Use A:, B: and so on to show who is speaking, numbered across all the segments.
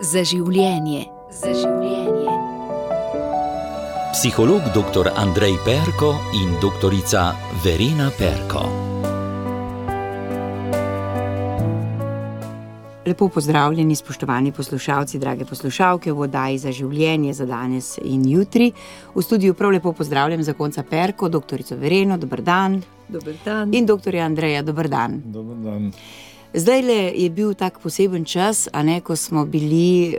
A: Za življenje. Za življenje.
B: Psiholog dr. Andrej Perko in doktorica Verena Perko.
C: Lepo pozdravljeni, spoštovani poslušalci, drage poslušalke v oddaji Za življenje za danes in jutri. V studiu prav lepo pozdravljam zakonca Perko, doktorico Vereno, dober dan.
D: Dober dan.
C: In doktorja Andreja, dober dan.
E: Dober dan.
C: Zdajle je bil tak poseben čas, ko smo bili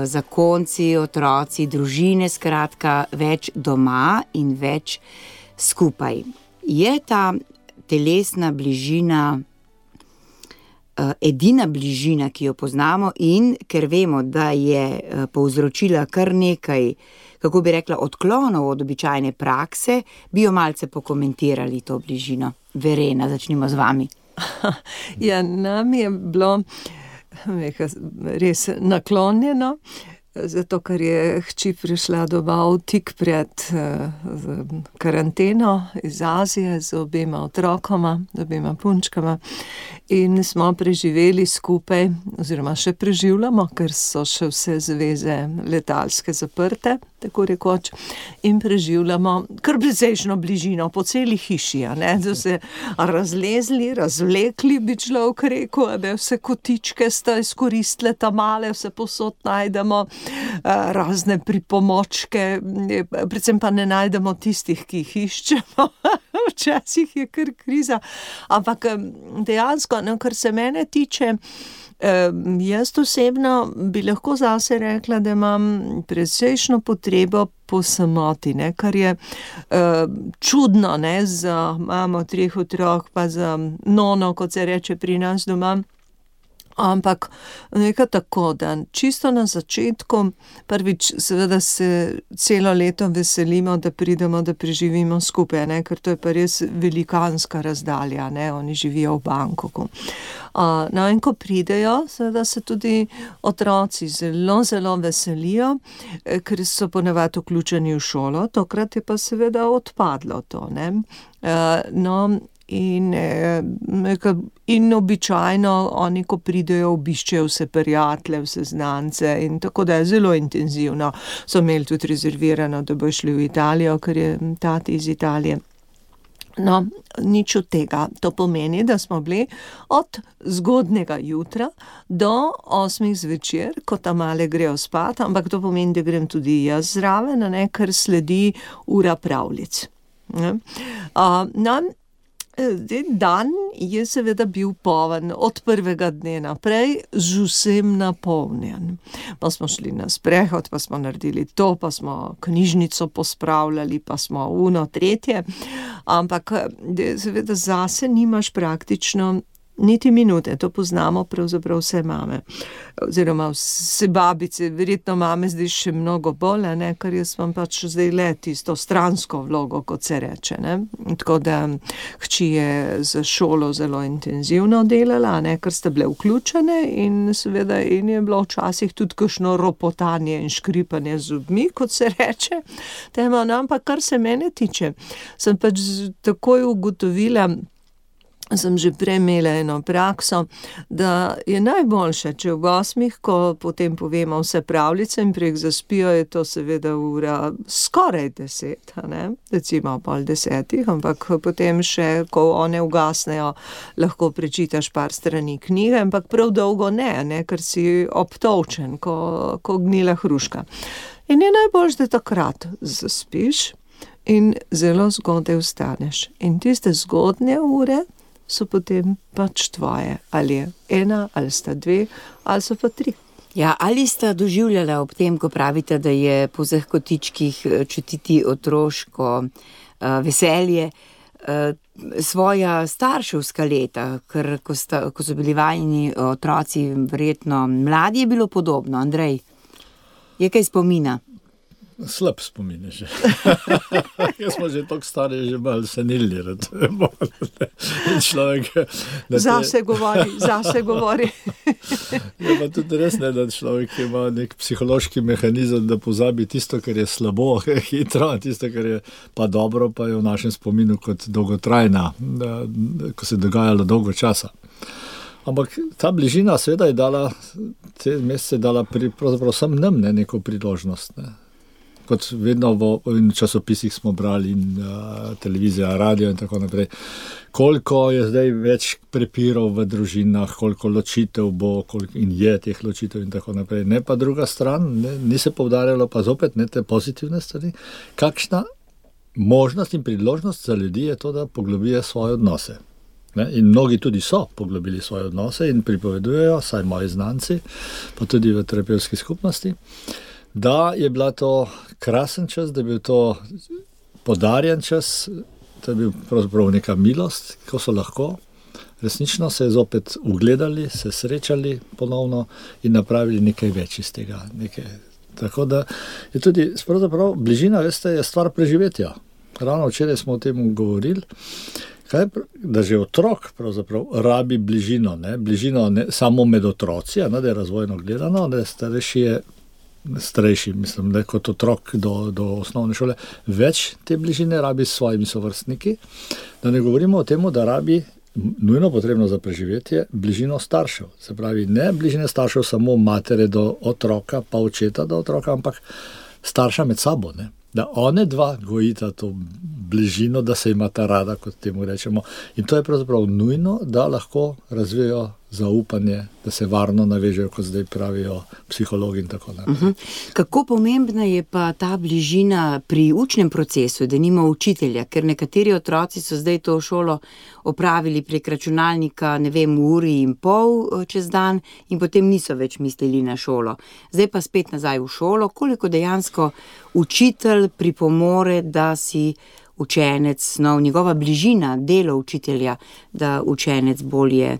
C: zakonci, otroci, družine, skratka, več doma in več skupaj. Je ta telesna bližina edina bližina, ki jo poznamo, in ker vemo, da je povzročila kar nekaj, kako bi rekla, odklonov od običajne prakse, bi jo malce pokomentirali to bližino. Verena, začnimo z vami.
D: Ja, nam je bilo res naklonjeno, zato ker je hči prišla domov tik pred karanteno iz Azije z obema otrokoma, z obema punčkama, in smo preživeli skupaj, oziroma še preživljamo, ker so še vse zveze letalske zaprte, tako rekoč, in preživljamo kar precejšno bližino po celi hiši, da se razlezli, razvlekli, bi človek rekel, da vse kotičke sta izkoristile ta male, vse posod najdemo, razne pripomočke, predvsem pa ne najdemo tistih, ki jih iščemo, včasih je kar kriza, ampak dejansko, kar se mene tiče, jaz osebno bi lahko zase rekla, da imam precejšno potrebo po samoti, kar je čudno, za mamo 3 otrok, pa za nono, kot se reče pri nas doma. Ampak nekaj tako, da čisto na začetku, prvič seveda se celo leto veselimo, da pridemo, da preživimo skupaj, ker to je pa res velikanska razdalja, oni živijo v Bangkoku. In ko pridejo, seveda se tudi otroci zelo, zelo veselijo, ker so ponavadi vključeni v šolo, tokrat je pa seveda odpadlo to, In običajno oni, ko pridejo, obiščejo vse prijatelje, vse znance, in tako da je zelo intenzivno. So imeli tudi rezervirano, da bo šli v Italijo, ker je tati iz Italije. Nič od tega. To pomeni, da smo bili od zgodnega jutra do 8 zvečer, ko ta male grejo spat, ampak to pomeni, da grem tudi jaz zraven, ker sledi ura pravljic. Dan je seveda bil poln od prvega dne naprej, z vsem napolnjen. Pa smo šli na sprehod, pa smo naredili to, pa smo knjižnico pospravljali, pa smo tretje, ampak seveda zase nimaš praktično niti minute, to poznamo pravzaprav vse mame, oziroma vse babice, verjetno mame zdaj še mnogo bolj, ker jaz imam pač zdaj le tisto stransko vlogo, kot se reče, Tako da hči je za šolo zelo intenzivno delala, ker sta bile vključene, in seveda in je bilo včasih tudi kakšno ropotanje in škripanje z zobmi, kot se reče, ampak kar se mene tiče, sem pač takoj ugotovila, sem že prej imela eno prakso, da je najboljše, če v 8, ko potem povemo vse pravljice in prek zaspijo, je to seveda ura skoraj 10, recimo 9:30, ampak potem še, ko one ugasnejo, lahko prečitaš par strani knjige, ampak prav dolgo ne, ker si obtolčen, ko gnila hruška. In je najboljše, da takrat zaspiš in zelo zgodaj vstaneš. In tiste zgodnje ure so potem pač tvoje, ali je 1, ali sta 2, ali so pa 3.
C: Ja, ali sta doživljala ob tem, ko pravite, da je po vseh kotičkih čutiti otroško veselje, svoja starševska leta, ker ko so bili vajini otroci verjetno mladi, je bilo podobno. Andrej, je kaj spomina?
E: Slab spomin je že. Jaz smo že toliko stari, že malo senilni.
D: Zase govori.
E: Je pa tudi res, da človek ima nek psihološki mehanizem, da pozabi tisto, kar je slabo, hitro, tisto, kar je pa dobro, pa je v našem spominu kot dolgotrajna, ko se je dogajalo dolgo časa. Ampak ta bližina seveda je dala, te mesece je dala pravzaprav sem nam neko priložnost. Ne. Kot vedno v časopisih smo brali in televizija, radio in tako naprej. Koliko je zdaj več prepirov v družinah, koliko ločitev bo, in je teh ločitev in tako naprej. Ne pa druga stran, ni se poudarjalo pa zopet ne te pozitivne stvari. Kakšna možnost in priložnost za ljudi je to, da poglobijo svoje odnose. Ne? In mnogi tudi so poglobili svoje odnose in pripovedujejo, saj moji znanci, pa tudi v terapevtski skupnosti, da je bila to krasen čas, da je bil to podarjen čas, da je bil pravzaprav neka milost, ko so lahko. Resnično se je zopet ugledali, se srečali ponovno in napravili nekaj več iz tega. Tako da je tudi pravzaprav bližina, veste, je stvar preživetja. Ravno včeraj smo o tem govorili, da že otrok pravzaprav rabi bližino. Bližino ne samo med otroci, da je razvojno gledano, da je starejši, mislim, da kot otrok do osnovne šole, več te bližine rabi s svojimi sovrstniki, da ne govorimo o tem, da rabi nujno potrebno za preživetje bližino staršev. Se pravi, ne bližine staršev samo matere do otroka, pa očeta do otroka, ampak starša med sabo, ne? Da one dva gojita to bližino, da se imata rada, kot temu rečemo. In to je pravzaprav nujno, da lahko razvijajo zaupanje, da se varno navežejo, kot zdaj pravijo psihologi in tako naprej.
C: Kako pomembna je pa ta bližina pri učnem procesu, da nima učitelja, ker nekateri otroci so zdaj to šolo opravili prek računalnika, ne vem, uri in pol čez dan in potem niso več mislili na šolo. Zdaj pa spet nazaj v šolo, koliko dejansko učitelj pripomore, da si učenec snov, njegova bližina, delo učitelja, da učenec bolje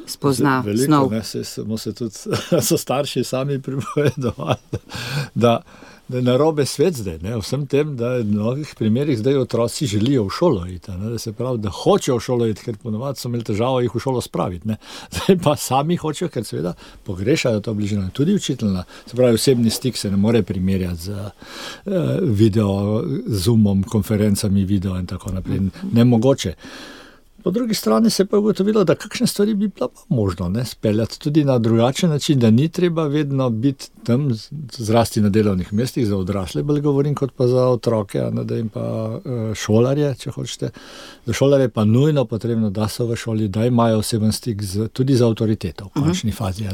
C: spozna snov.
E: Veliko, so starši sami pripovedovali, da je narobe svet zdaj, vsem tem, da v mnogih primerih zdaj otroci želijo v šolo iti, da se pravi, da hočejo v šolo iti, ker ponovadi so imeli težavo jih v šolo spraviti. Zdaj pa sami hočejo, ker seveda pogrešajo to bližino. Tudi učiteljna, se pravi, osebni stik se ne more primerjati z video, zoomom, konferencami, video in tako naprej. Nemogoče. Po drugi strani se pa je ugotovilo, da kakšne stvari bi bilo možno speljati tudi na drugačen način, da ni treba vedno biti tam, zrasti na delovnih mestih, za odrasle bolj govorim, kot pa za otroke, da jim pa šolarje, če hočete. Za šolarje pa nujno potrebno, da so v šoli, da imajo oseben stik tudi za avtoriteto v končni fazi,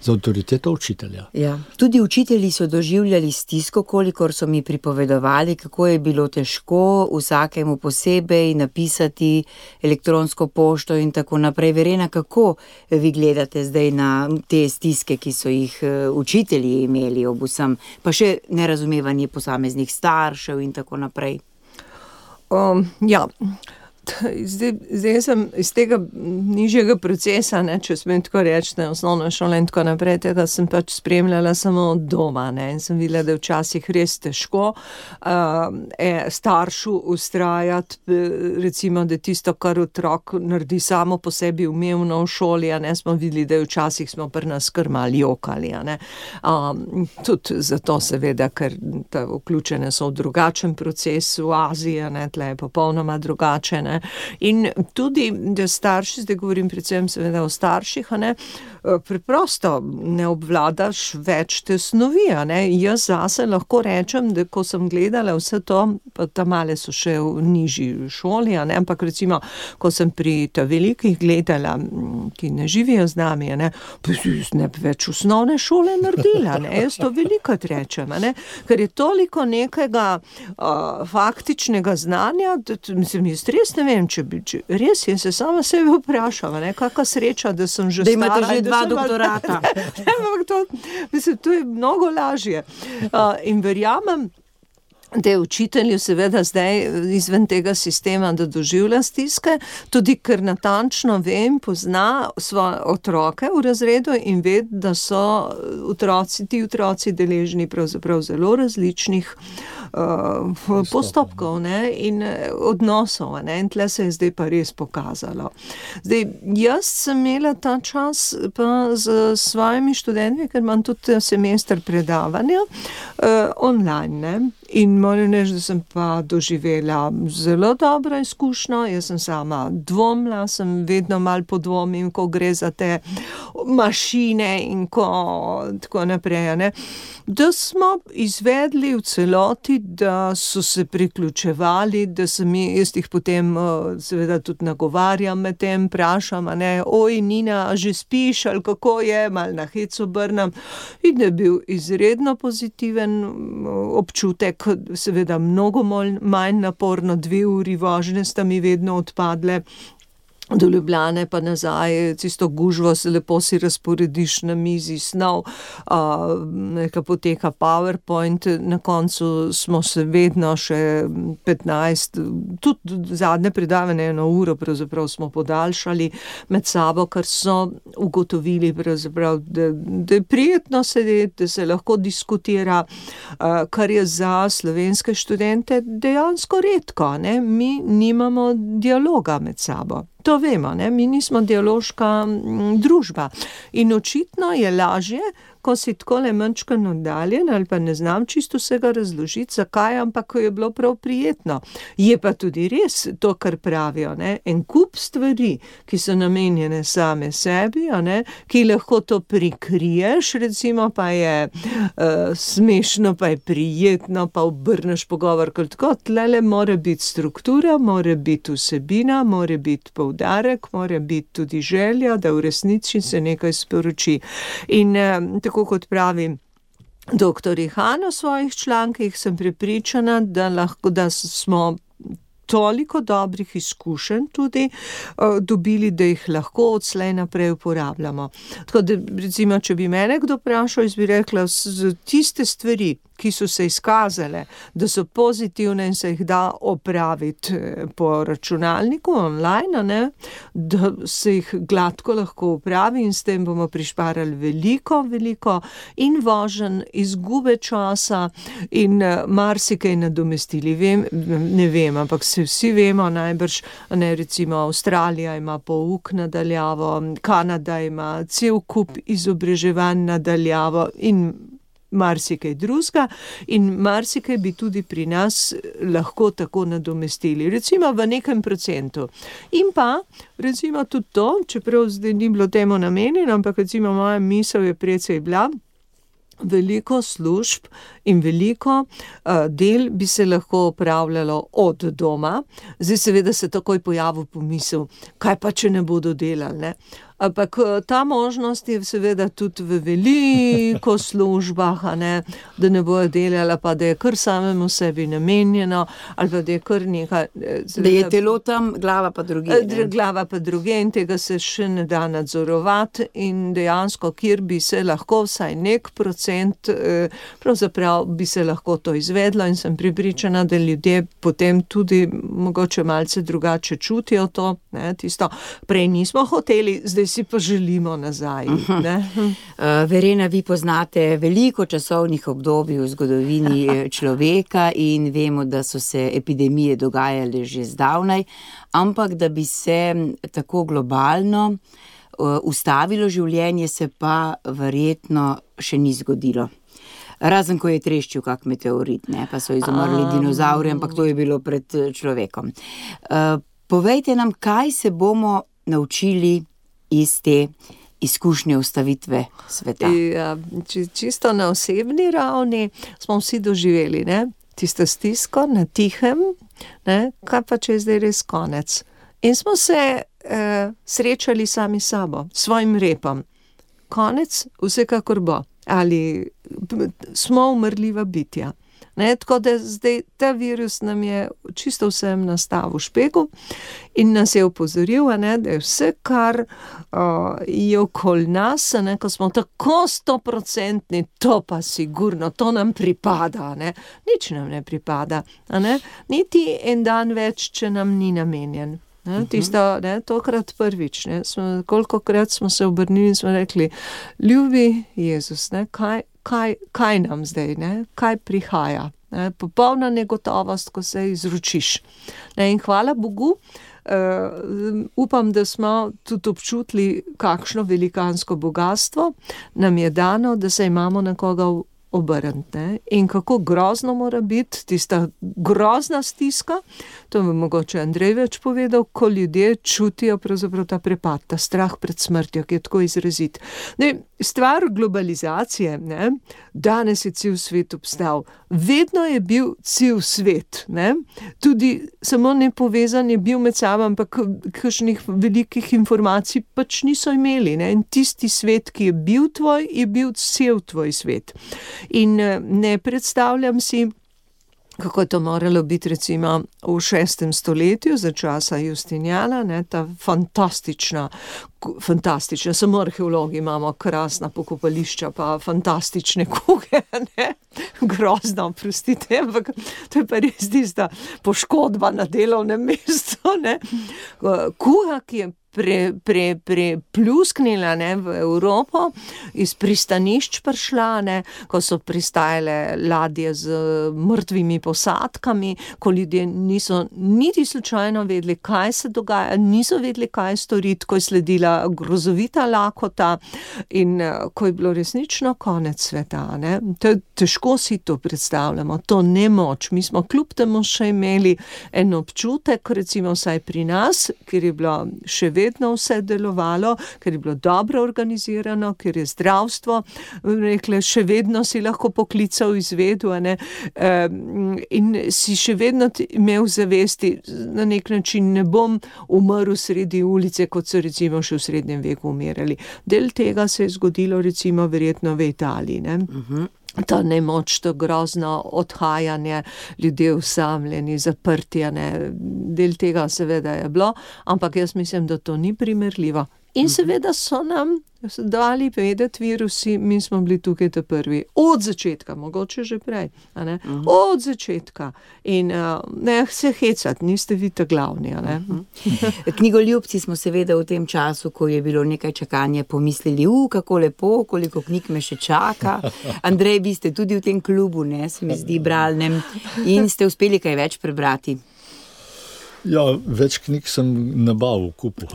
E: za avtoriteto učitelja.
C: Ja. Tudi učitelji so doživljali stisko, kolikor so mi pripovedovali, kako je bilo težko vsakemu posebej napisati elektronsko pošto in tako naprej. Verena, kako vi gledate zdaj na te stiske, ki so jih učitelji imeli ob vsem, pa še nerazumevanje posameznih staršev in tako naprej?
D: Ja, zdaj sem iz tega nižjega procesa, če smem tako reči, osnovno šolo in tako naprej, tega sem pač spremljala samo od doma, in sem videla, da je včasih res težko staršu ustrajati, recimo, da tisto, kar otrok naredi samo po sebi umevno v šoli, smo videli, da včasih smo pri nas kar malo jokali, tudi zato seveda, ker vključene so v drugačen proces v Aziji, tle je popolnoma drugače, in tudi, da starši, zdaj govorim predvsem seveda o starših, preprosto ne obvladaš več te snovi, Jaz zase lahko rečem, da ko sem gledala vse to, pa ta male so še v nižji šoli, ampak recimo, ko sem pri ta velikih gledala, ki ne živijo z nami, pa ne bi več osnovne šole naredila, jaz to velikokrat rečem, ker je toliko nekega faktičnega znanja, mislim, jaz res ne vem, če res jaz se sama sebe vprašam, kakva sreča, da sem že stara.
C: Da imate že 2 doktorata.
D: Mislim, to je mnogo lažje. In verjamem, da je učitelju seveda zdaj izven tega sistema, da doživlja stiske, tudi ker natančno vem, pozna svoje otroke v razredu in ve, da so ti otroci deležni pravzaprav zelo različnih postopkov in odnosov, in tle se je zdaj pa res pokazalo. Zdaj, jaz sem imela ta čas pa z svojimi študenti, ker imam tudi semester predavanja online, In moram reči, da sem pa doživela zelo dobro izkušnjo, jaz sem sama dvomila, sem vedno malo podvomim, ko gre za te mašine in tako naprej, ne. Da smo izvedli v celoti, da so se priključevali, da sem jaz jih potem seveda tudi nagovarjam med tem, vprašam, a ne, oj, Nina, a že spiš, ali kako je, malo na hec obrnem. In da je bil izredno pozitiven občutek, seveda mnogo manj naporno, 2 uri vožnje sta mi vedno odpadle, do Ljubljane pa nazaj, tisto gužvo se lepo si razporediš na mizi, snov, neka poteka PowerPoint, na koncu smo se vedno še 15, tudi zadnje predavanje 1 uro pravzaprav smo podaljšali med sabo, ker so ugotovili pravzaprav, da je prijetno sedeti, da se lahko diskutira, kar je za slovenske študente dejansko redko, ne, mi nimamo dialoga med sabo. To vemo, ne? Mi nismo dialoška družba in očitno je lažje, ko si takole mančkeno oddaljen ali pa ne znam čisto vsega razložiti, zakaj, ampak ko je bilo prav prijetno. Je pa tudi res to, kar pravijo, ne? En kup stvari, ki so namenjene same sebi, a ne? Ki lahko to prikriješ, recimo pa je smešno, pa je prijetno, pa obrneš pogovor kot tako. Tlele mora biti struktura, mora biti vsebina, mora biti poudarek, mora biti tudi želja, da v resnici se nekaj sporoči. In tako kot pravi doktor Han v svojih člankih, sem prepričana, da smo toliko dobrih izkušenj tudi dobili, da jih lahko odslej naprej uporabljamo. Tako da, recimo, če bi mene kdo vprašal, jaz bi rekla, tiste stvari, ki so se izkazale, da so pozitivne in se jih da opraviti po računalniku online, ne, da se jih gladko lahko opravi in s tem bomo prišparali veliko in voženj, izgube časa in marsikaj nadomestili. Ne vem, ampak se vsi vemo najbrž, ne, recimo Avstralija ima pouk nadaljavo, Kanada ima cel kup izobraževanj nadaljavo in marsikaj drugega in marsikaj bi tudi pri nas lahko tako nadomestili, recimo v nekem procentu. In pa, recimo tudi to, čeprav zdaj ni bilo temu namenjeno, ampak recimo moja misel je precej bila, veliko služb in veliko del bi se lahko opravljalo od doma. Zdaj seveda se takoj pojavil pomisel, kaj pa, če ne bodo delali, ne? Ampak ta možnost je seveda tudi v veliko službah, a ne, da ne bojo delala, pa da je kar samemu sebi namenjeno, ali pa da je kar nekaj...
C: Da je telo tam, glava pa druge.
D: Glava pa druge in tega se še ne da nadzorovati in dejansko, kjer bi se lahko vsaj nek procent, pravzaprav bi se lahko to izvedlo in sem prepričana, da ljudje potem tudi mogoče malce drugače čutijo to, ne, tisto, prej nismo hoteli, zdaj si pa želimo nazaj. Ne?
C: Verena, vi poznate veliko časovnih obdobij v zgodovini človeka in vemo, da so se epidemije dogajale že zdavnaj, ampak da bi se tako globalno ustavilo življenje, se pa verjetno še ni zgodilo. Razen, ko je treščil kak meteorit, ne? Pa so izumrli dinozauri, ampak to je bilo pred človekom. Povejte nam, kaj se bomo naučili iz te izkušnje ustavitve sveta.
D: Ja, čisto na osebni ravni smo vsi doživeli, ne? Tisto stisko na tihem, ne? Kaj pa, če je zdaj res konec. In smo se srečali sami sabo, svojim repom. Konec vsekakor bo. Ali smo umrljiva bitja. Ne, tako da zdaj ta virus nam je čisto vsem nastavil špegu in nas je opozoril, ne, da je vse, kar je okoli nas, ne, ko smo tako 100%, to pa sigurno, to nam pripada, ne. Nič nam ne pripada, ne. Niti en dan več, če nam ni namenjen. Ne, tisto, ne, tokrat prvič, ne, kolikokrat smo se obrnili in smo rekli, ljubi Jezus, ne, kaj nam zdaj, ne, kaj prihaja, ne, popolna negotovost, ko se izročiš. Ne, in hvala Bogu, upam, da smo tudi občutili, kakšno velikansko bogatstvo nam je dano, da se imamo na koga obrniti, ne? In kako grozno mora biti tista grozna stiska, to bi mogoče Andrej več povedal, ko ljudje čutijo pravzaprav ta prepad, ta strah pred smrtjo, ki je tako izrazit. Stvar globalizacije, ne? Danes je cel svet obstal, vedno je bil cel svet, ne? Tudi samo nepovezan je bil med sabo, ampak kakšnih velikih informacij pač niso imeli, ne? In tisti svet, ki je bil tvoj, je bil cel tvoj svet. In ne predstavljam si, kako je to moralo biti recimo v 6. stoletju za časa Justinijana, ne, ta fantastična, samo arheologi imamo krasna pokopališča, pa fantastične kuge, ne, grozno, prostite, ampak to je pa res tista poškodba na delovnem mestu, ne, kuga, ki je plusknila, ne, v Evropo, iz pristanišč prišla, ne, ko so pristajale ladje z mrtvimi posadkami, ko ljudje niso niti slučajno vedeli, kaj se dogaja, niso vedeli, kaj storiti, ko je sledila grozovita lakota in ko je bilo resnično konec sveta, ne. Težko si to predstavljamo, to nemoč. Mi smo kljub temu še imeli en občutek, recimo vsaj pri nas, kjer je bilo še vedno vse delovalo, ker je bilo dobro organizirano, ker je zdravstvo, rekle, še vedno si lahko poklical izvedu, ne, in si še vedno imel zavesti, na nek način ne bom umrl sredi ulice, kot so recimo še v srednjem veku umirali. Del tega se je zgodilo recimo verjetno v Italiji, ne. Ta nemoč, to grozno odhajanje, ljudje osamljeni, zaprtje, ne, del tega seveda je bilo, ampak jaz mislim, da to ni primerljivo. In seveda so nam dali vedeti virusi, mi smo bili tukaj ta prvi, od začetka, mogoče že prej, a ne, od začetka. In ne se hecati, niste vi ta glavni, a ne.
C: Knjigoljubci smo seveda v tem času, ko je bilo nekaj čakanja, pomislili, kako lepo, koliko knjig me še čaka. Andrej, vi ste tudi v tem klubu, ne, se mi zdi, bralnem, in ste uspeli kaj več prebrati.
E: Ja, več knjig sem nabavil v kupu.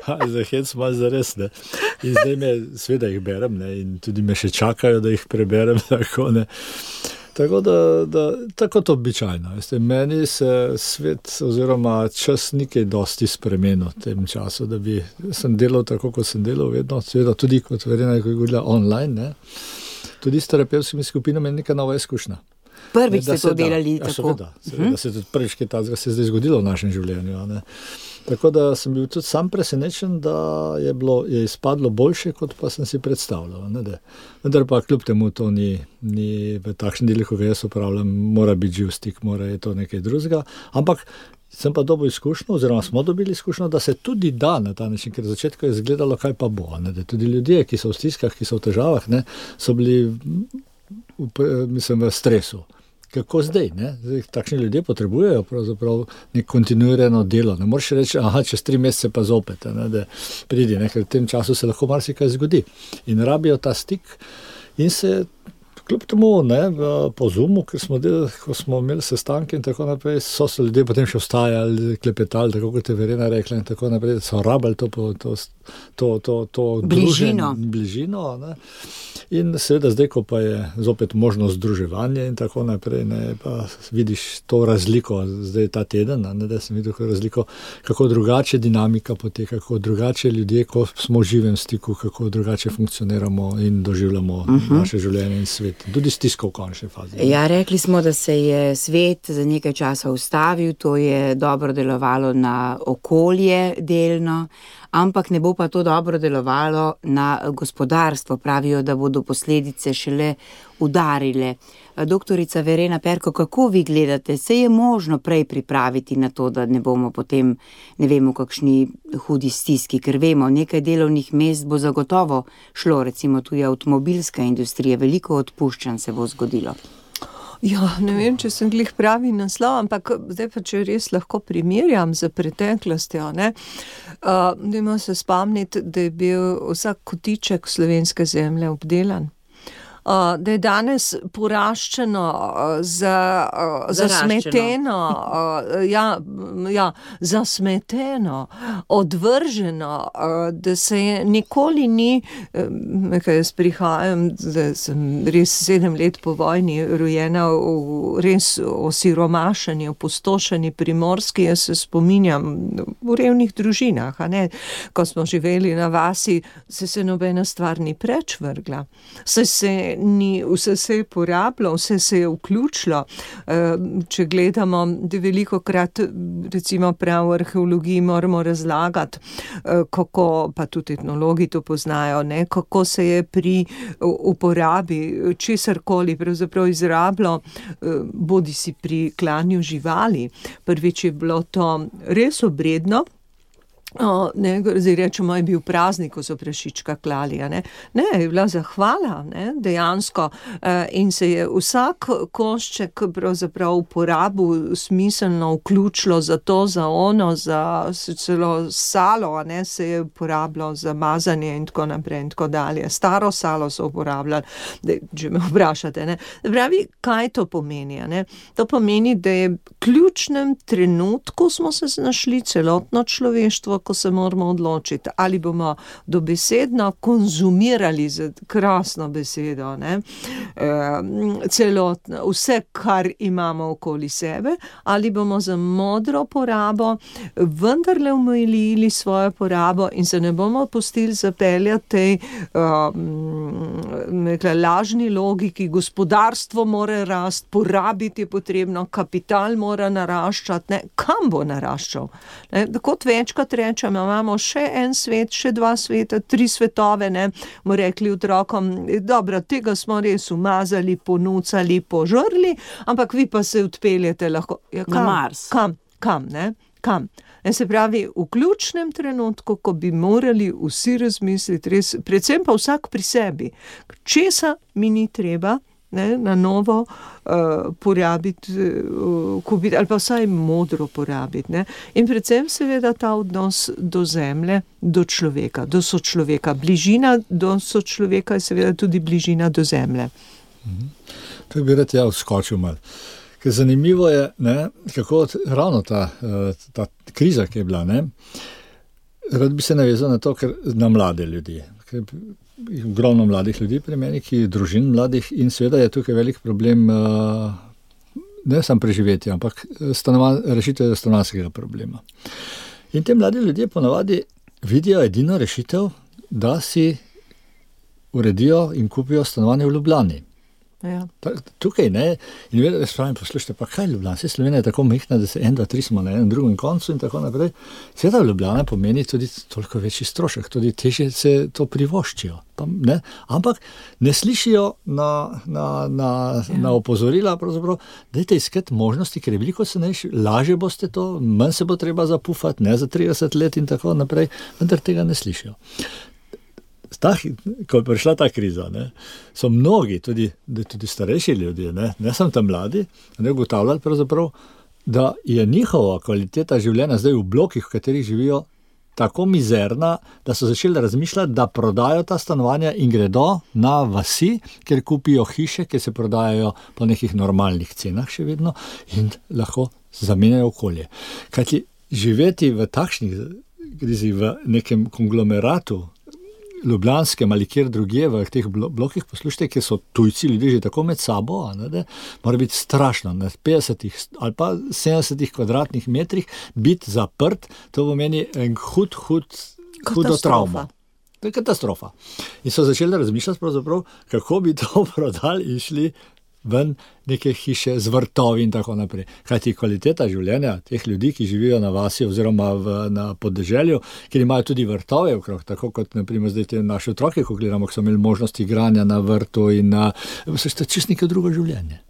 E: Za hec malo zares, ne. In zdaj seveda jih berem, ne, in tudi me še čakajo, da jih preberem, tako, ne. Tako da tako to običajno. Veste, meni se svet oziroma čas nikaj dosti spremenil v tem času, da sem delal tako, kot sem delal vedno, seveda tudi kot Verena je govorila online, ne. Tudi s terapevtskimi skupinami je neka nova izkušnja.
C: Prvič ste to delali tako.
E: Seveda se tudi prvič, kaj tazga se je zdaj zgodilo v našem življenju, ne. Tako da sem bil tudi sam presenečen, da je izpadlo boljše, kot pa sem si predstavljal, ne. Vendar pa kljub temu to ni v takšnem delu, ko ga jaz upravljam, mora biti živ stik, je to nekaj drugega, ampak sem pa dobil izkušnjo, oziroma smo dobili izkušnjo, da se tudi da na ta način, ker v začetku je izgledalo, kaj pa bo, ne. Tudi ljudje, ki so v stiskah, ki so v težavah, ne, so bili v stresu. Kako zdaj, ne? Zdaj, takšni ljudje potrebujejo pravzaprav nek kontinuirano delo. Ne moreš reči, čez 3 mesece pa zopet, ne, da pridi, ne, ker v tem času se lahko marsikaj zgodi. In rabijo ta stik in se kljub temu, ne, po Zoomu, ko smo imeli sestanke in tako naprej, so se ljudje potem še vstajali, klepetali, tako kot je Verena rekla in tako naprej, so rabili to bližino, ne. In seveda zdaj, ko pa je zopet možnost združevanja in tako naprej, ne, pa vidiš to razliko, zdaj ta teden, ne, da sem videl razliko, kako drugače dinamika poteka, kako drugače ljudje, ko smo v živem stiku, kako drugače funkcioniramo in doživljamo naše življenje in svet. Tudi stisko v končni fazi.
C: Ja, rekli smo, da se je svet za nekaj časa ustavil, to je dobro delovalo na okolje delno, ampak ne bo pa to dobro delovalo na gospodarstvo. Pravijo, da bodo posledice šele udarile. Doktorica Verena Perko, kako vi gledate? Se je možno prej pripraviti na to, da ne bomo potem, ne vemo, kakšni hudi stiski, ker vemo, nekaj delovnih mest bo zagotovo šlo, recimo tudi avtomobilska industrija, veliko odpuščanj se bo zgodilo.
D: Ja, ne vem, če sem glih pravi naslov, ampak zdaj pa, če res lahko primerjam z preteklostjo, ne, dajmo se spomniti, da je bil vsak kotiček slovenske zemlje obdelan. da je danes poraščeno, zasmeteno, zasmeteno, odvrženo, da se je nikoli ni, kaj jaz prihajam, da sem res 7 let po vojni rojena v res osiromašeni, opustošeni Primorski, jaz se spominjam v revnih družinah, a ne, ko smo živeli na vasi, se nobena stvar ni preč vrgla. Vse se je porabilo, vse se je vključilo. Če gledamo, da velikokrat, recimo prav v arheologiji moramo razlagati, kako, pa tudi etnologi to poznajo, ne, kako se je pri uporabi česarkoli pravzaprav izrabilo, bodi si pri klanju živali. Prvič je bilo to res obredno, zdaj rečemo, je bil praznik, ko so prašička klali, ne, je bila zahvala, ne, dejansko, in se je vsak košček pravzaprav uporabil smiselno vključilo za to, za ono, za celo salo, ne, se je uporabljalo za mazanje in tako naprej in tako dalje. Staro salo so uporabljali, če me vprašate, ne. Pravi, kaj to pomeni, ne? To pomeni, da je v ključnem trenutku smo se znašli celotno človeštvo, ko se moramo odločiti, ali bomo dobesedno konzumirali z krasno besedo, ne, celotno, vse, kar imamo okoli sebe, ali bomo za modro porabo vendarle omejili svojo porabo in se ne bomo pustili zapeljati tej lažni logiki, gospodarstvo mora rasti, porabiti je potrebno, kapital mora naraščati, ne, kam bo naraščal? Ne, kot večkrat rečem, imamo še en svet, še 2 sveta, 3 svetove, ne, bomo rekli otrokom, dobro, tega smo res umazali, ponucali, požrli, ampak vi pa se odpeljete lahko. Ja,
C: na Mars.
D: Kam, ne? Kam? Se pravi, v ključnem trenutku, ko bi morali vsi razmisliti, res, predvsem pa vsak pri sebi, česa mi ni treba, ne, na novo porabiti, kupiti, ali pa vsaj modro porabiti, ne. In predvsem seveda ta odnos do zemlje, do človeka, do sočloveka. Bližina do sočloveka je seveda tudi bližina do zemlje.
E: To bi rad vskočil malo. Ker zanimivo je, ne, kako ravno ta kriza, ki je bila, ne, rad bi se navezal na to, ker na mlade ljudi. Ker ogromno mladih ljudi pri meni, družin mladih, in seveda je tukaj velik problem, ne samo preživetje, ampak rešitev stanovanjskega problema. In te mladi ljudje ponavadi vidijo edino rešitev, da si uredijo in kupijo stanovanje v Ljubljani.
D: Ja.
E: Tukaj ne, in vedno spravim, poslušajte, pa kaj Ljubljana, vse Slovenija je tako mehna, da se 1, 2, 3 smo na enem drugem koncu in tako naprej. Seveda Ljubljana pomeni tudi toliko večji strošek, tudi težje se to privoščijo. Ne? Ampak ne slišijo na opozorila, pravzaprav, dajte iskati možnosti, ker je veliko cenejše, lažje boste to, manj se bo treba zapufati, ne za 30 let in tako naprej, vendar tega ne slišijo. Ko je prišla ta kriza, ne, so mnogi, tudi starejši ljudje, ne samo tam mladi, ne ugotavljali pravzaprav, da je njihova kvaliteta življenja zdaj v blokih, v katerih živijo, tako mizerna, da so začeli razmišljati, da prodajo ta stanovanja in gredo na vasi, ker kupijo hiše, ki se prodajajo po nekih normalnih cenah še vedno in lahko zamenjajo okolje. Kajti živeti v takšnih krizi, v nekem konglomeratu, ljubljanskem ali kjer drugje v teh blokih, poslušajte, kjer so tujci ljudje že tako med sabo, mora biti strašno, na 50 ali pa 70 kvadratnih metrih biti zaprt, to pomeni en hudo travmo. To je katastrofa. In so začeli razmišljati pravzaprav, kako bi to prodali in šli ven neke hiše z vrtovi in tako naprej. Kajti kvaliteta življenja teh ljudi, ki živijo na vasi oziroma na podeželju, kjer imajo tudi vrtove okrog, tako kot naprimer zdaj te naše otroke, ko gledamo, ki so imeli možnost igranja na vrtu in so čisto neko drugo življenje.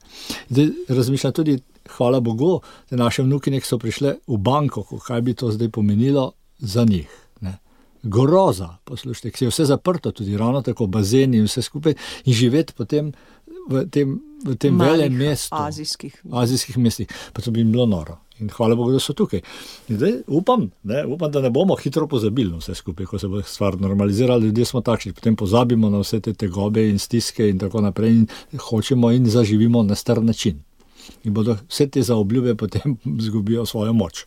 E: Zdaj razmišljam tudi, hvala Bogu, da naše vnukinje so prišle v Bangkoku, kaj bi to zdaj pomenilo za njih. Ne? Groza, poslušajte, ki je vse zaprto, tudi ravno tako bazeni in vse skupaj, in živeti potem v tem velem mestu, azijskih mestih, pa to bi jim bilo noro. In hvala Bogu, da so tukaj. In zdaj upam, da ne bomo hitro pozabili na vse skupaj, ko se bo stvar normalizirala. Ljudje smo takšni, potem pozabimo na vse te tegobe in stiske in tako naprej in hočemo in zaživimo na star način. In bodo vse te zaobljube potem zgubijo svojo moč.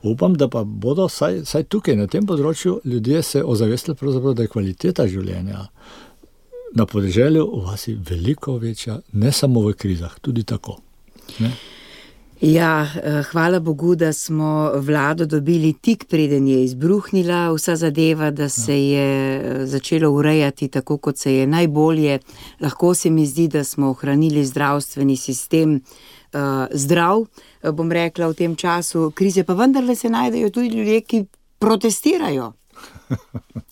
E: Upam, da pa bodo saj tukaj na tem področju ljudje se ozavestili pravzaprav, da je kvaliteta življenja na podeželju v vasi veliko večja, ne samo v krizah, tudi tako. Ne?
C: Ja, hvala Bogu, da smo vlado dobili tik preden je izbruhnila vsa zadeva, da se je začelo urejati tako, kot se je najbolje. Lahko se mi zdi, da smo ohranili zdravstveni sistem zdrav, bom rekla, v tem času krize, pa vendarle se najdejo tudi ljudje, ki protestirajo.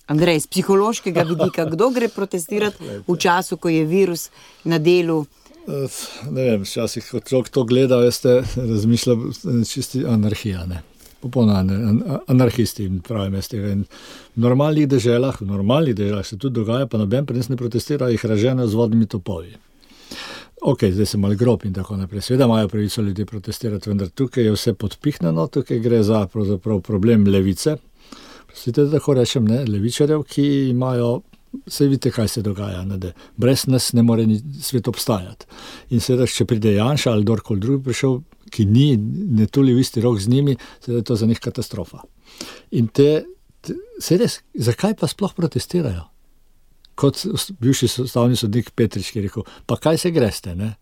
C: Andrej, z psihološkega vidika, kdo gre protestirati v času, ko je virus na delu?
E: Ne vem, včasih, ko človek to gleda, razmišlja čisti anarhija, ne. Popolna anarhisti, pravim jaz tega. In v normalnih deželah se tudi dogaja, pa noben pri nas ne protestira, jih raženejo z vodnimi topovi. Ok, zdaj se malo grob in tako naprej. Seveda imajo pravico ljudje protestirati, vendar tukaj je vse podpihnjeno, tukaj gre za pravzaprav problem levice. Prostite, da tako rečem, ne, levičarjev, ki imajo. Saj vidite, kaj se dogaja, ne, da brez nas ne more svet obstajati. In seveda, če pride Janša ali kdorkoli drugi prišel, ki ne tuli v isti rok z njimi, seveda je to za njih katastrofa. In res, zakaj pa sploh protestirajo? Kot bivši ustavni sodnik Petrič, ki je rekel, pa kaj se greste, ne?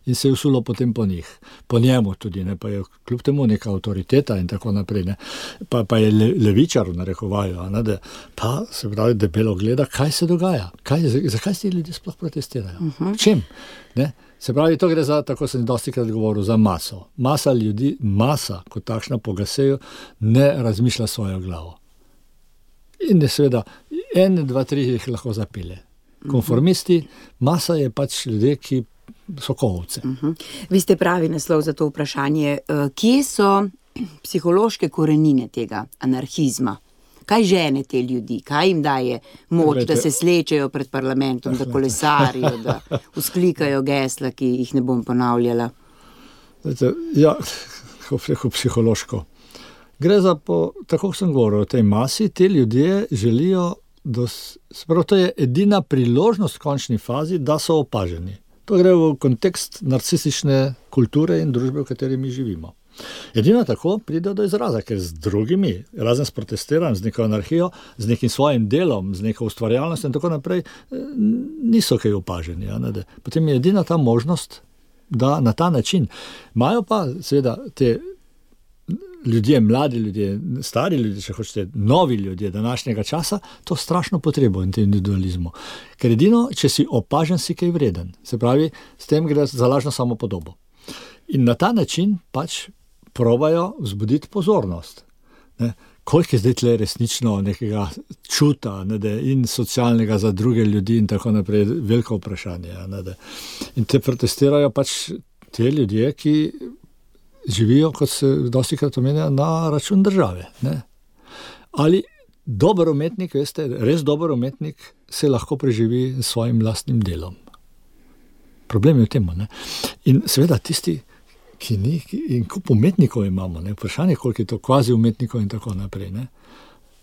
E: In se je usulo potem po njih, po njemu tudi, ne, pa je kljub temu neka avtoriteta in tako naprej, ne, pa je levičar v narekovaju, ne, da pa se pravi debelo gleda, kaj se dogaja, zakaj se ljudje sploh protestirajo, čem, ne, se pravi, to gre za, tako sem dostikrat govoril, za maso, masa, kot takšna po Gaseju, ne razmišlja svojo glavo. In je seveda, 1, 2, 3 jih lahko zapelje. Konformisti, masa je pač ljudje, ki sokovce.
C: Vi ste pravi naslov za to vprašanje. Kje so psihološke korenine tega anarhizma? Kaj žene te ljudi? Kaj jim daje moč, da se slečejo pred parlamentom, da kolesarijo, da vzklikajo gesla, ki jih ne bom ponavljala?
E: Ja, kako psihološko. Gre za, tako sem govoril, o tej masi, te ljudje želijo, to je edina priložnost v končni fazi, da so opaženi. To gre v kontekst narcisične kulture in družbe, v kateri mi živimo. Edino tako pride do izraza, ker z drugimi, razen s protestiranjem, z neko anarhijo, z nekim svojim delom, z neko ustvarjalnostjo in tako naprej, niso kaj opaženi. Ja, potem je edina ta možnost, da na ta način. Imajo pa seveda te ljudje, mladi ljudje, stari ljudje, če hočete, novi ljudje današnjega časa, to strašno potrebo individualizmu. Ker edino, če si opažen, si kaj vreden. Se pravi, s tem gre za lažno samopodobo. In na ta način pač probajo vzbuditi pozornost. Ne? Koliko je zdaj tle resnično nekega čuta, in socialnega za druge ljudi in tako naprej, veliko vprašanje. In te protestirajo pač te ljudje, ki živijo, kot se dostikrat omenja, na račun države. Ne? Ali dober umetnik, veste, res dober umetnik se lahko preživi s svojim lastnim delom. Problem je v tem, ne? In seveda tisti, ki ni, in kup umetnikov imamo, ne? Vprašanje, koliko je to kvazi umetnikov in tako naprej. Ne?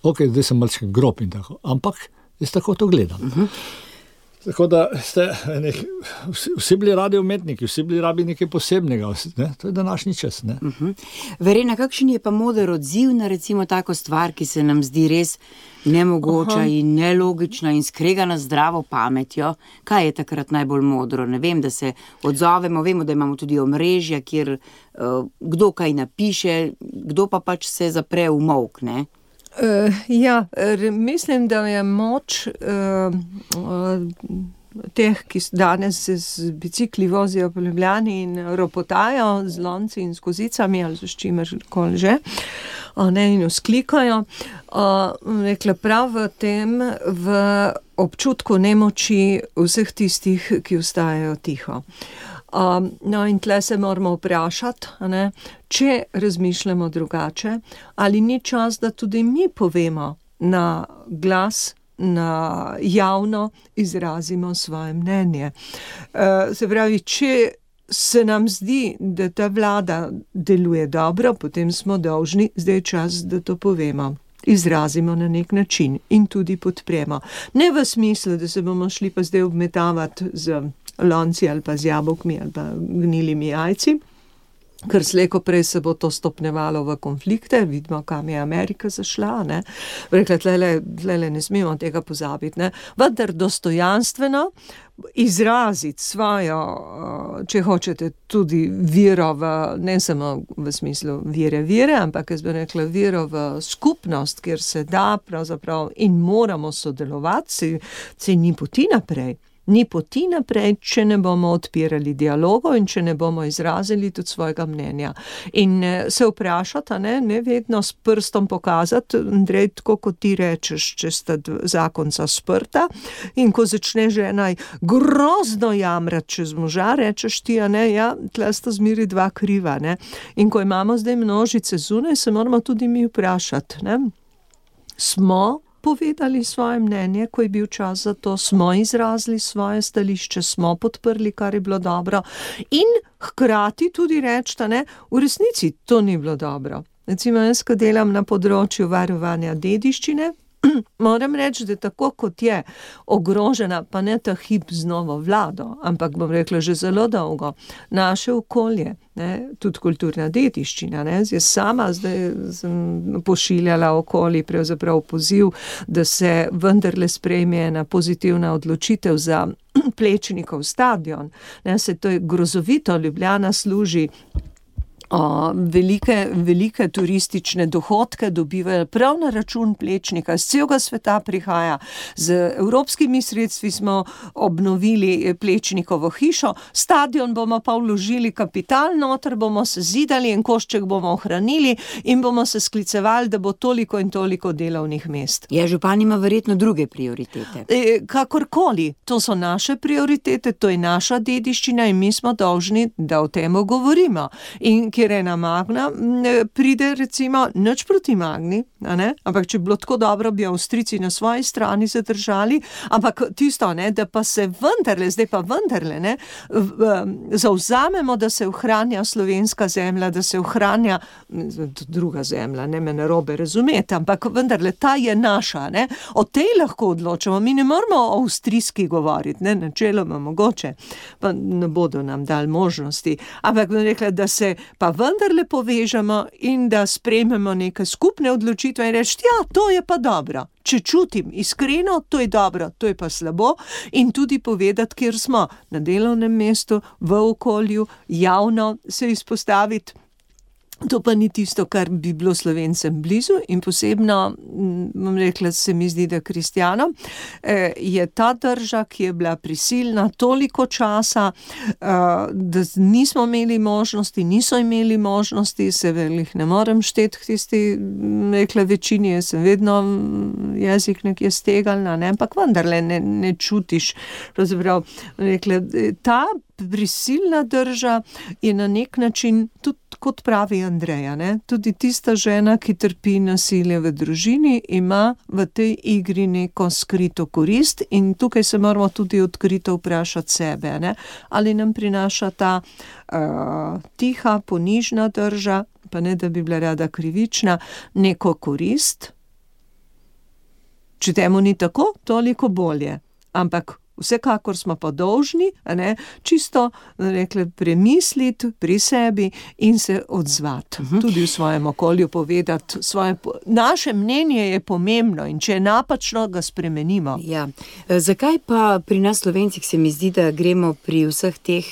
E: Ok, zdaj sem malček grob in tako, ampak jaz tako to gledam. Tako da vsi bili radi umetniki, vsi bili rabi nekaj posebnega, ne? To je današnji čas. Ne?
C: Verena, kakšen je pa moder odziv na recimo tako stvar, ki se nam zdi res nemogoča in nelogična in skregana zdravo pametjo? Kaj je takrat najbolj modro? Ne vem, da se odzovemo, vemo, da imamo tudi omrežja, kjer kdo kaj napiše, kdo pa pač se zapre v molk, ne?
D: Mislim, da je moč teh, ki danes se z bicikli vozijo po Ljubljani in ropotajo z lonci in s kozicami ali s čimerkoli že, in vzklikajo, rekla prav v tem, v občutku nemoči vseh tistih, ki ostajajo tiho. In tle se moramo vprašati, če razmišljamo drugače, ali ni čas, da tudi mi povemo na glas, na javno izrazimo svoje mnenje. Se pravi, če se nam zdi, da ta vlada deluje dobro, potem smo dolžni, zdaj je čas, da to povemo. Izrazimo na nek način in tudi podpremo. Ne v smislu, da se bomo šli pa zdaj obmetavati z lonci ali pa z jabolkmi ali pa gnilimi jajci, ker slejko prej se bo to stopnevalo v konflikte, vidimo, kam je Amerika zašla, ne. Rekla, tlele ne smemo tega pozabiti, ne. Vendar dostojanstveno izraziti svojo, če hočete, tudi vero v, ne samo v smislu vere, ampak jaz bi rekla vero v skupnost, kjer se da pravzaprav in moramo sodelovati, se ni poti naprej. Ni poti naprej, če ne bomo odpirali dialogov in če ne bomo izrazili tudi svojega mnenja. In se vprašati, ne vedno s prstom pokazati, Andrej, tako kot ti rečeš, če sta zakonca sprta in ko začne žena grozno jamrati čez moža, rečeš ti, ja, tle sta zmeri dva kriva, ne. In ko imamo zdaj množice zunaj, se moramo tudi mi vprašati, ne. Smo povedali svoje mnenje, ko je bil čas za to, smo izrazili svoje stališče, smo podprli, kar je bilo dobro in hkrati tudi reči, v resnici to ni bilo dobro. Recimo, jaz, ko delam na področju varovanja dediščine, moram reči, da tako kot je ogrožena, pa ne ta hip z novo vlado, ampak bom rekla že zelo dolgo, naše okolje, tudi kulturna dediščina. Jaz sama zdaj sem pošiljala okoli pravzaprav poziv, da se vendarle sprejme ena pozitivna odločitev za Plečnikov stadion. Se to je grozovito, Ljubljana služi velike turistične dohodke dobivajo prav na račun Plečnika, z celega sveta prihaja. Z evropskimi sredstvi smo obnovili Plečnikovo hišo, stadion bomo pa vložili kapital noter, bomo se zidali in košček bomo ohranili in bomo se sklicevali, da bo toliko in toliko delovnih mest.
C: Ja, župan ima verjetno druge prioritete.
D: Kakorkoli, to so naše prioritete, to je naša dediščina in mi smo dolžni, da o tem govorimo. In kjer ena Magna pride, recimo, nič proti Magni, ampak če bi bilo tako dobro, bi Avstrijci na svoji strani zadržali, ampak tisto, da pa se vendarle, zavzamemo, da se ohranja slovenska zemlja, da se ohranja druga zemlja, ne me narobe razumeti, ampak vendarle ta je naša, o tej lahko odločamo, mi ne moramo o avstrijski govoriti, načeloma mogoče, pa ne bodo nam dali možnosti, ampak bom rekla, da se pa vendarle povežemo in da sprejmemo neke skupne odločitve in reči, ja, to je pa dobro. Če čutim iskreno, to je dobro, to je pa slabo in tudi povedati, kjer smo, na delovnem mestu, v okolju, javno se izpostaviti. To pa ni tisto, kar bi bilo Slovencem blizu in posebno, bom rekla, se mi zdi, da kristjanom, je ta drža, ki je bila prisilna toliko časa, da nismo imeli možnosti, niso imeli možnosti, se jih ne morem šteti k tisti, rekla, večini, jaz sem vedno jezik nekje stegalna, ampak vendarle ne čutiš, pravzaprav, rekla, ta prisilna drža je na nek način tudi, kot pravi Andreja, tudi tista žena, ki trpi nasilje v družini, ima v tej igri neko skrito korist in tukaj se moramo tudi odkrito vprašati sebe, ali nam prinaša ta tiha, ponižna drža, pa ne da bi bila rada krivična, neko korist. Če temu ni tako, toliko bolje, ampak vsekakor smo pa dolžni, čisto, rekla, premisliti pri sebi in se odzvati. Tudi v svojem okolju povedati naše mnenje je pomembno in če je napačno, ga spremenimo.
C: Ja. Zakaj pa pri nas Slovencih se mi zdi, da gremo pri vseh teh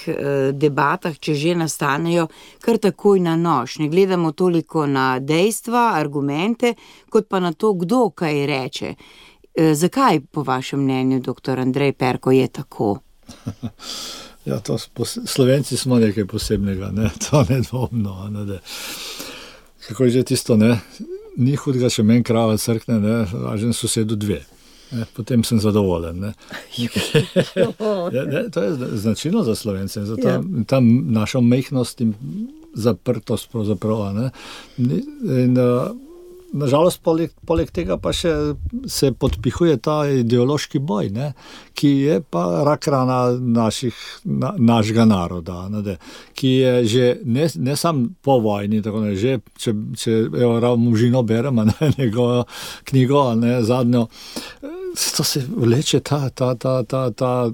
C: debatah, če že nastanejo, kar takoj na nož? Ne gledamo toliko na dejstva, argumente, kot pa na to, kdo kaj reče. Zakaj, po vašem mnenju, dr. Andrej Perko, je tako?
E: Ja, Slovenci smo nekaj posebnega, to nedvomno. Kako je že tisto, ni hudega, če meni krava crkne, važen sosedu dve. Potem sem zadovoljen. To je značilno za Slovence, za ta naša majhnost in zaprtost pravzaprav. In nažalost, poleg tega pa še se podpihuje ta ideološki boj, ne, ki je pa rak rana našega naroda, ne, ki je že ne sam po vojni, tako ne, že če Možino beremo, ne, njegovo knjigo, ne, zadnjo, to se vleče ta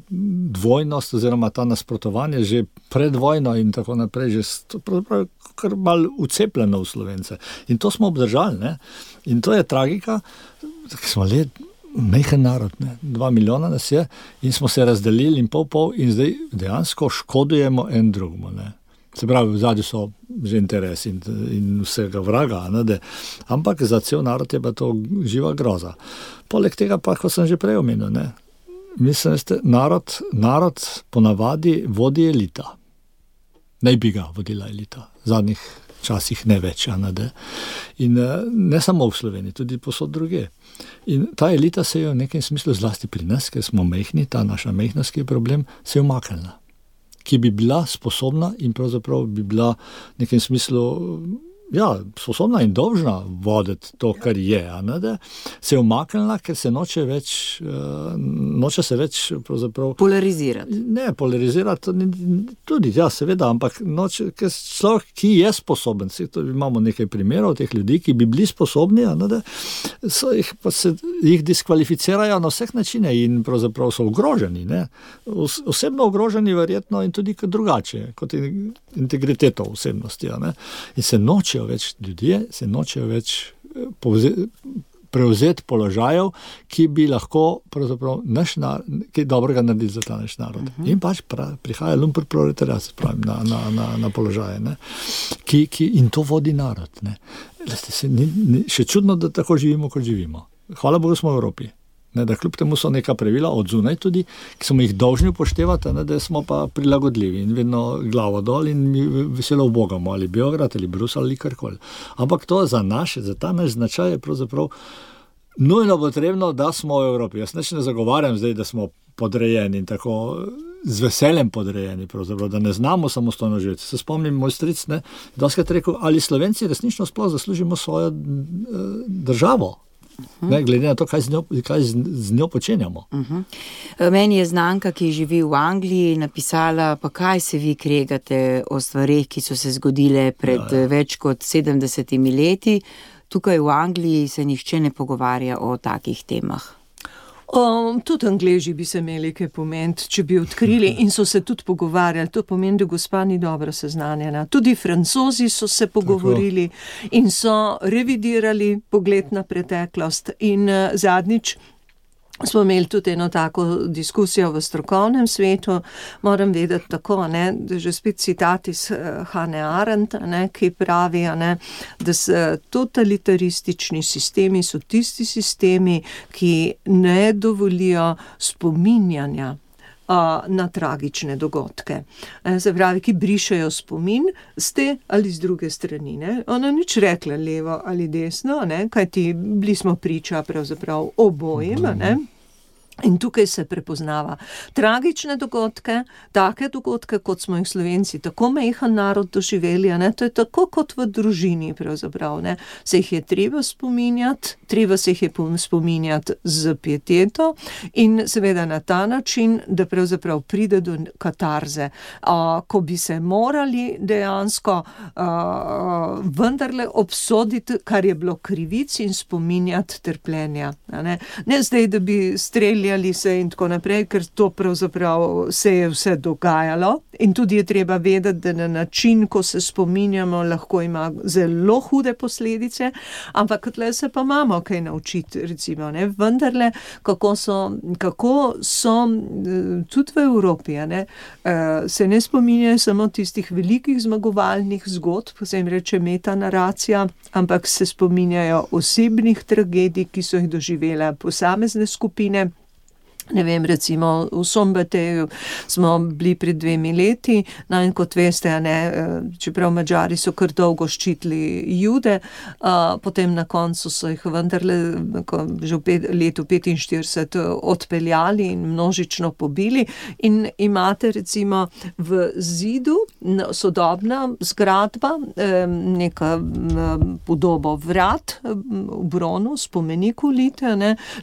E: dvojnost oziroma ta nasprotovanje že pred vojno in tako naprej, že pravzaprav kar malo ucepljeno v Slovence. In to smo obdržali, ne? In to je tragika, ki smo majhen narod, ne? 2 milijona nas je in smo se razdelili in pol in zdaj dejansko škodujemo en drugemu, ne? Se pravi, v zadnji so že interesi in vsega vraga, ne? Ampak za cel narod je pa to živa groza. Poleg tega pa, kot sem že prej omenil, ne? Mislim, narod ponavadi vodi elita. Naj bi ga vodila elita. V zadnjih časih ne več, ne? In ne samo v Sloveniji, tudi posod druge. In ta elita se je v nekem smislu, zlasti pri nas, ker smo majhni, ta naša majhnost, ki je problem, se je umaknila. Ki bi bila sposobna in pravzaprav bi bila v nekem smislu, sposobna in dolžna voditi to, kar je, ne? Se je umaknila, ker se noče se več pravzaprav
C: polarizirati.
E: Ne, polarizirati tudi, seveda, ampak noče, ker človek, ki je sposoben, imamo nekaj primerov teh ljudi, ki bi bili sposobni, ne? Jih diskvalificirajo na vseh načine in pravzaprav so ogroženi, ne? Osebno ogroženi verjetno in tudi drugače, kot integriteto osebnosti, ne? In se nočejo več prevzeti položajev, ki bi lahko pravzaprav kaj dobrega naredili za ta naš narod. In pač prihaja lumpen proletariat, na položaje, ne? In to vodi narod, ne? Še čudno, da tako živimo, kot živimo. Hvala Bogu smo v Evropi. Ne, da kljub temu so neka pravila od zunaj tudi, ki smo jih dolžni upoštevati, ne, da smo pa prilagodljivi in vedno glavo dol in mi veselo ubogamo, ali Beograd, ali Bruselj, ali karkoli. Ampak to za ta naš značaj je pravzaprav nujno potrebno, da smo v Evropi. Jaz ne zagovarjam zdaj, da smo podrejeni in tako z veseljem podrejeni, pravzaprav, da ne znamo samostojno živeti. Se spomnim, moj stric, ne, doskrat rekel, ali Slovenci resnično sploh zaslužimo svojo državo. Ne, glede na to, kaj z njo počenjamo.
C: Meni je znanka, ki živi v Angliji, napisala, pa kaj se vi kregate o stvareh, ki so se zgodile pred več kot 70 leti. Tukaj v Angliji se nihče ne pogovarja o takih temah.
D: Tudi Angleži bi se imeli kaj pomeniti, če bi odkrili in so se tudi pogovarjali. To pomeni, da gospa ni dobro seznanjena. Tudi Francozi so se pogovorili in so revidirali pogled na preteklost. In zadnjič smo imeli tudi eno tako diskusijo v strokovnem svetu. Moram vedeti tako, ne, da že spet citat iz Hannah Arendt, ne, ki pravi, ne, da totalitaristični sistemi so tisti sistemi, ki ne dovolijo spominjanja na tragične dogodke. Se pravi, ki brišejo spomin z te ali z druge strani. Ne? Ona nič rekla levo ali desno, ne? Kajti bili smo priča pravzaprav obojim, ne? In tukaj se prepoznava tragične dogodke, take dogodke, kot smo jih Slovenci, tako majhen narod doživeli, ne? To je tako kot v družini pravzaprav, ne? Se jih je treba spominjati, treba se jih je spominjati z pieteto in seveda na ta način, da pravzaprav pride do katarze, ko bi se morali dejansko vendarle obsoditi, kar je bilo krivic in spominjati trpljenja. Ne zdaj, da bi streljali se in tako naprej, ker to pravzaprav se je vse dogajalo in tudi je treba vedeti, da na način, ko se spominjamo, lahko ima zelo hude posledice, ampak tle se pa imamo kaj naučiti, recimo, ne, vendarle, kako so tudi v Evropi, ne, se ne spominjajo samo tistih velikih zmagovalnih zgodb, se jim reče metanaracija, ampak se spominjajo osebnih tragedij, ki so jih doživele posamezne skupine. Ne vem, recimo v Sombateju smo bili pred 2 leti, no in kot veste, čeprav Madžari so kar dolgo ščitili Jude, potem na koncu so jih vendarle že v letu 45 odpeljali in množično pobili in imate recimo v zidu sodobna zgradba, neka podobo vrat v bronu, spomenik ulite,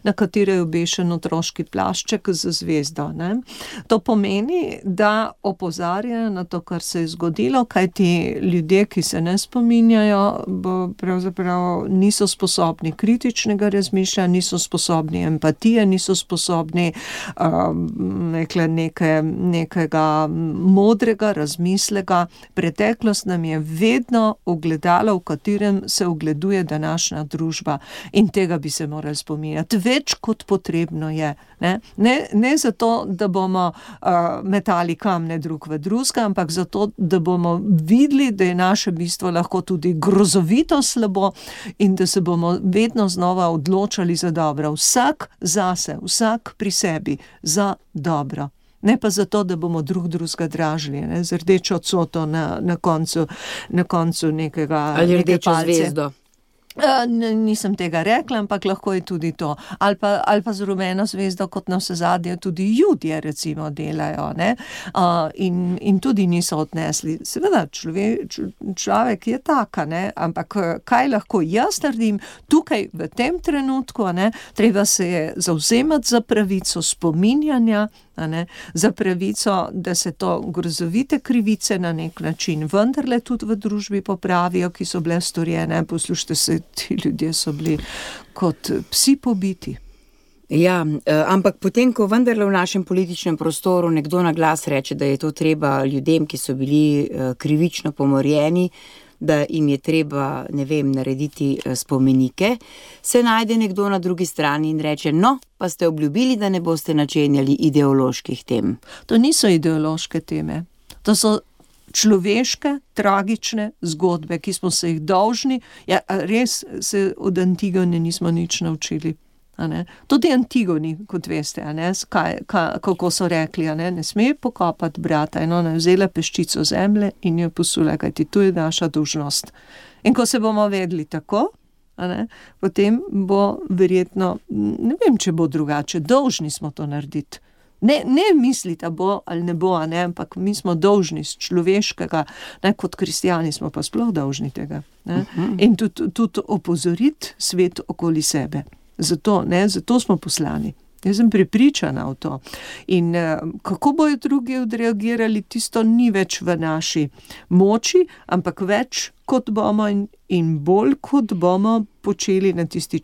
D: na katere je obešen otroški plašček z zvezdo. Ne. To pomeni, da opozarjajo na to, kar se je zgodilo, kajti ljudje, ki se ne spominjajo, pravzaprav niso sposobni kritičnega razmišljanja, niso sposobni empatije, niso sposobni nekega modrega razmislega. Preteklost nam je vedno ogledalo, v katerem se ogleduje današnja družba in tega bi se morali spominjati. Več kot potrebno je. Ne zato, da bomo metali kamne drug v drugega, ampak zato, da bomo videli, da je naše bistvo lahko tudi grozovito slabo in da se bomo vedno znova odločali za dobro. Vsak zase, vsak pri sebi, za dobro. Ne pa zato, da bomo drugega dražili, z rdečo coto na koncu nekega
C: ali rdečo zvezdo.
D: Nisem tega rekla, ampak lahko je tudi to. Ali pa z rumeno zvezdo, kot navsezadnje tudi Judje recimo delajo, ne? In tudi niso odnesli. Seveda, človek je taka, ne? Ampak kaj lahko jaz naredim tukaj v tem trenutku, ne? Treba se je zavzemati za pravico spominjanja, za pravico, da se to grozovite krivice na nek način vendarle tudi v družbi popravijo, ki so bile storjene. Poslušajte se, ti ljudje so bili kot psi pobiti.
C: Ja, ampak potem, ko vendarle v našem političnem prostoru nekdo na glas reče, da je to treba ljudem, ki so bili krivično pomorjeni, da jim je treba, narediti spomenike, se najde nekdo na drugi strani in reče, no, pa ste obljubili, da ne boste načenjali ideoloških tem.
D: To niso ideološke teme, to so človeške, tragične zgodbe, ki smo se jih dolžni, res se od Antigone nismo nič naučili. Tudi Antigoni, kot veste, kako so rekli, ne sme pokopati brata, in ona je vzela peščico zemlje in jo posula, kajti to je naša dolžnost. In ko se bomo vedeli tako, potem bo verjetno, ne vem, če bo drugače, dolžni smo to narediti. Ne misliti, bo ali ne bo, ampak mi smo dolžni z človeškega, kot kristjani smo pa sploh dolžni tega. In tudi opozoriti svet okoli sebe. Zato smo poslani. Jaz sem prepričana v to. In kako bojo drugi odreagirali, tisto ni več v naši moči, ampak več kot bomo in bolj kot bomo počeli na tisti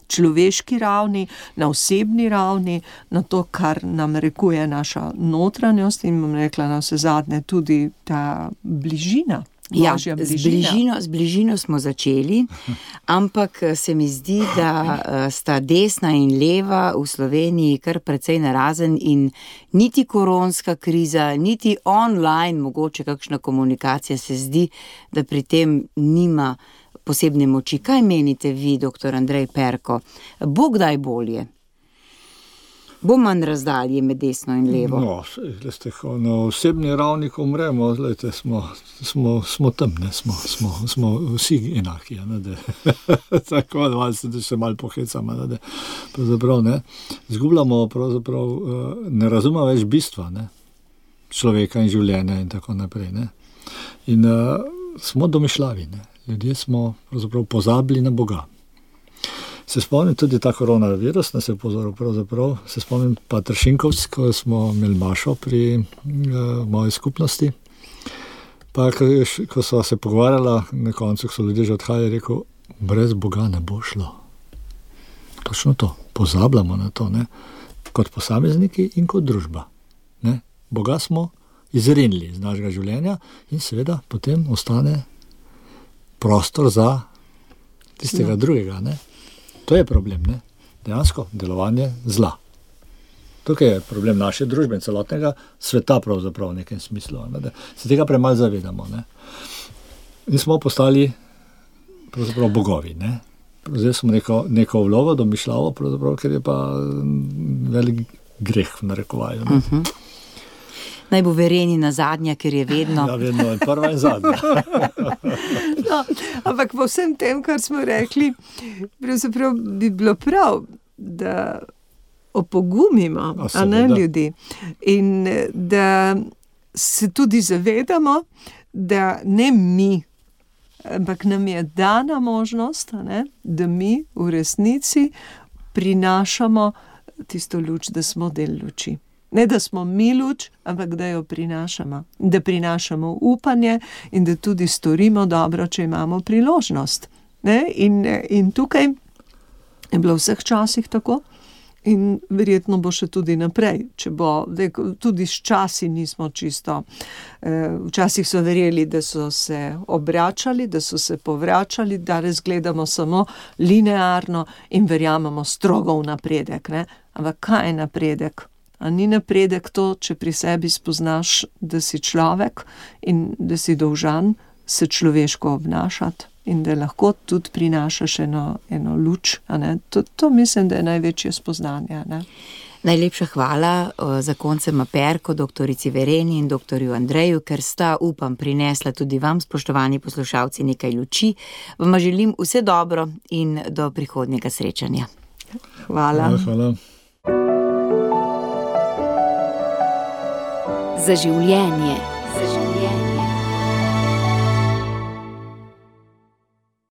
D: človeški ravni, na osebni ravni, na to, kar nam rekuje naša notranjost in bom rekla na vse zadnje tudi ta bližina.
C: Ja, z bližino smo začeli, ampak se mi zdi, da sta desna in leva v Sloveniji kar precej narazen in niti koronska kriza, niti online mogoče kakšna komunikacija se zdi, da pri tem nima posebne moči. Kaj menite vi, dr. Andrej Perko? Bo kdaj bolje? Bo manj razdalje med desno in levo?
E: Na osebni ravni, ko umremo, smo tam, smo vsi enaki. Tako, da se malo pohecamo. Zgubljamo, ne razumemo več bistva človeka in življenja in tako naprej. In smo domišljavi. Ljudje smo pozabili na Boga. Se spomnim tudi ta koronavirus, nas je pozoril pravzaprav, se spomnim pa Tršinkovc, ko smo imeli mašo pri moji skupnosti, pa ko so se pogovarjala, na koncu so ljudje že odhajali, rekel, brez Boga ne bo šlo. Točno to, pozabljamo na to, kot posamezniki in kot družba. Boga smo izrinili iz našega življenja in seveda potem ostane prostor za tistega drugega, To je problem, dejansko delovanje zla. Tukaj je problem naše družbe in celotnega sveta pravzaprav v nekem smislu, da se tega premalo zavedamo. In smo postali pravzaprav bogovi. Zdaj smo neko vlogo domišljavo, ker je pa velik greh v narekovaju.
C: Naj bo Verenina zadnja, ker je vedno.
E: Ja, vedno je prva in zadnja.
D: No, ampak po vsem tem, kar smo rekli, pravzaprav bi bilo prav, da opogumimo ljudi in da se tudi zavedamo, da ne mi, ampak nam je dana možnost, da mi v resnici prinašamo tisto luč, da smo del luči. Ne, da smo mi luč, ampak da jo prinašamo. Da prinašamo upanje in da tudi storimo dobro, če imamo priložnost. In tukaj je bilo v vseh časih tako in verjetno bo še tudi naprej. Tudi s časi nismo čisto. Včasih so verjeli, da so se obračali, da so se povračali, da razgledamo samo linearno in verjamemo strogo v napredek. Ampak kaj je napredek? A ni napredek to, če pri sebi spoznaš, da si človek in da si dolžan se človeško obnašati in da lahko tudi prinašaš eno luč. To mislim, da je največje spoznanje.
C: Najlepša hvala za koncem Perko, doktorici Vereni in doktorju Andreju, ker sta, upam, prinesla tudi vam, spoštovani poslušalci, nekaj luči. Vam želim vse dobro in do prihodnjega srečanja.
D: Hvala.
E: Hvala.
A: Za življenje.